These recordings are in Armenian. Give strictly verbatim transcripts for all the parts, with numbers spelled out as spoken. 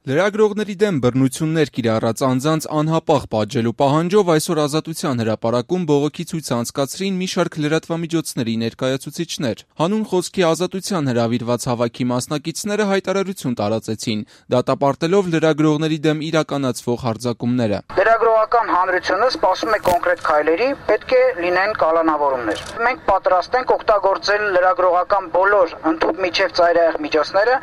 Լրագրողների դեմ բռնություններ կիրառած անձանց անհապաղ պատժելու պահանջով այսօր Ազատության հրապարակում բողոքի ցույց անցկացրին մի շարք լրատվամիջոցների ներկայացուցիչներ։ Հանուն խոսքի ազատության հրավիրված հավաքի մասնակիցները հայտարարություն տարածեցին, դատապարտելով լրագրողների դեմ իրականացվող հարձակումները։ Լրագրողական հանրությունը սպասում է կոնկրետ քայլերի, պետք է լինեն կալանավորումներ։ Մենք պատրաստ ենք օգտագործել լրագրողական բոլոր ընդհանուր միջև ծայրահեղ միջոցները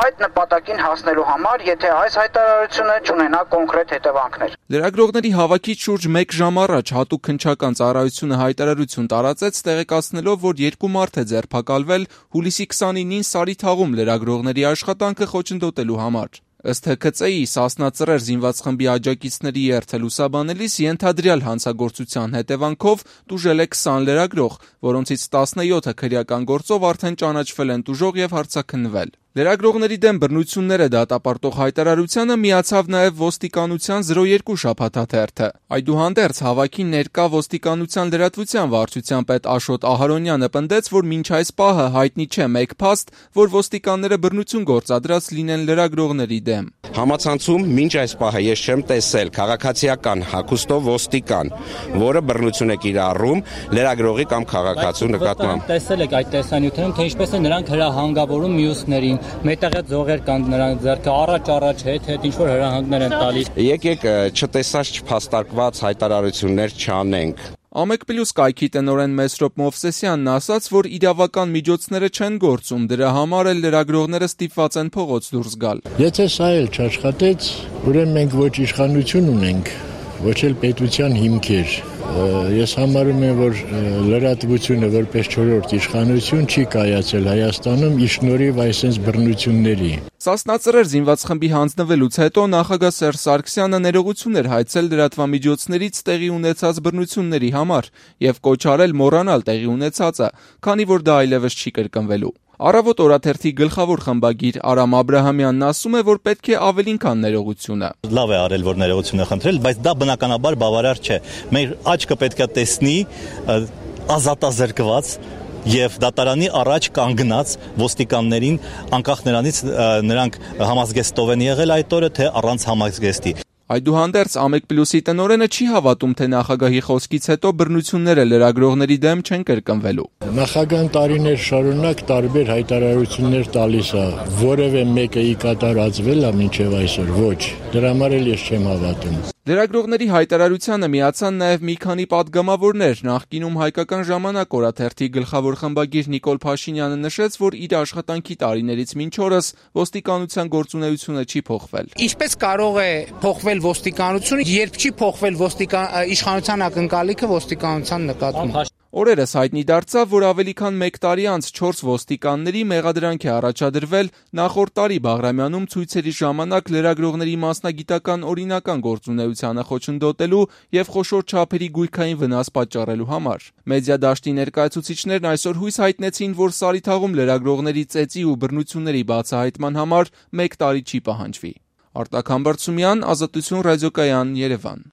այդ նպատակին հասնելու համար, եթե այս հայտարարությունը չունենա կոնկրետ հետևանքներ։ Լրագրողների հավաքից շուրջ մեկ ժամ առաջ հատուկ քննչական ծառայությունը հայտարարություն տարածեց, տեղեկացնելով, որ երկու մարդ է ձերբակալվել հուլիսի քսանինին Սարիթաղում լրագրողների աշխատանքը խոչընդոտելու համար։ Ըստ Հ K C-ի Սասնա Ծռեր զինված խմբի աջակիցների երթը լուսաբանելիս ենթադրյալ հանցագործության հետևանքով տուժել է քսան լրագրող, որոնցից տասնյոթը քրեական գործով արդեն ճանաչվել են տուժող եւ հարցաքննվել։ Լրագրողների դեմ բռնությունները դատապարտող հայտարարությանը միացավ նաև ոստիկանության զրո երկու շաբաթաթերթը։ Այդուհանդերձ հավաքին ներկա ոստիկանության լրատվության վարչության պետ Աշոտ Ահարոնյանը պնդեց, որ մինչ այս պահը հայտնի չէ մեկ փաստ, որ ոստիկանները բռնություն գործադրած լինեն լրագրողների դեմ։ Համացանցում մինչ այս պահը ես չեմ տեսել քաղաքացիական հագուստով ոստիկան, որը բռնություն է կիրառում լրագրողի կամ քաղաքացու նկատմամբ։ Տեսել եք այդ տեսանյութերում, թե ինչպես են նրանք հրահանգավորում մյուսներին։ Մետաղյա ձողեր կան նրանց ձեռքը առաջ-առաջ հետ-հետ ինչ-որ հրահանգներ են տալիս։ Եկեք չտեսած չփաստարկված հայտարարություններ չանենք։ Ամեկ-Պլյուս կայքի տնօրեն Մեսրոպ Մովսեսյանն ասաց, որ իրավական միջոցները չեն գործում, դրա համար էլ լրագրողները ստիպված են փողոց դուրս գալ։ Եթե սա էլ չաշխատեց, ուրեմն մենք ոչ իշխանություն ունենք, ոչ էլ պետության հիմքեր։ Ես համարում եմ, որ լրատվությունը որպես չորրորդ իշխանություն չի կայացել Հայաստանում ի շնորհիվ այսպես բռնությունների։ Սասնա Ծռեր զինված խմբի հանձնվելուց հետո նախագահ Սերժ Սարգսյանը ներողություն էր հայցել լրատվամիջոցներից տեղի ունեցած բռնությունների համար եւ կոչ արել մոռանալ տեղի ունեցածը, քանի որ դա այլևս չի կրկնվելու։ Առավոտ օրաթերթի գլխավոր խմբագիր Արամ Աբրահամյանն ասում է, որ պետք է ավելին քան ներողությունը։ Լավ է արել, որ ներողություն է խնդրել, բայց դա բնականաբար բավարար չէ։ Մեր աչքը պետք է տեսնի ազատազրկված եւ դատարանի առաջ կանգնած ոստիկաններին, անկախ նրանից նրանք համազգեստով են եղել այդ օրը, թե առանց համազգեստի։ Այդուհանդերձ Ամեկ-Պլյուսի տնօրենը չի հավատում, թե նախագահի խոսքից հետո բռնությունները լրագրողների դեմ չեն կրկնվելու։ Նախագահան տարիներ շարունակ տարբեր հայտարարություններ տալիս է, որևէ մեկը ի կատարածվել է մինչև այսօր, ոչ, դրա համար էլ ես չեմ հավատում։ Լրագրողների հայտարարությանը միացան նաև մի քանի պատգամավորներ։ Նախկինում Հայկական ժամանակ օրաթերթի գլխավոր խմբագիր Նիկոլ Փաշինյանը նշեց, որ իր աշխատանքի տարիներից մինչ օրս ոստիկանության գործունեությունը չի փոխվել։ Ինչպես կարող է փոխվել ոստիկանությունը, երբ չի փոխվել ոստիկան իշխանության ակնկալիքը ոստիկանության նկատմամբ։ Օրերս հայտնի դարձավ, որ ավելի քան մեկ տարի անց չորս ոստիկանների մեղադրանք է առաջադրվել նախորդ տարի Բաղրամյանում ցույցերի ժամանակ լրագրողների մասնագիտական օրինական գործունեությանը խոչընդոտելու եւ խոշոր չափերի գույքային վնաս պատճառելու համար։ Մեդիա դաշտի ներկայացուցիչներն այսօր հույս հայտնեցին, որ Սարիթաղում լրագրողների ծեծի ու բռնությունների բացահայտման համար մեկ տարի չի պահանջվի։ Արտակ Համբարձումյան, Ազատություն ռադիոկայան, Երևան։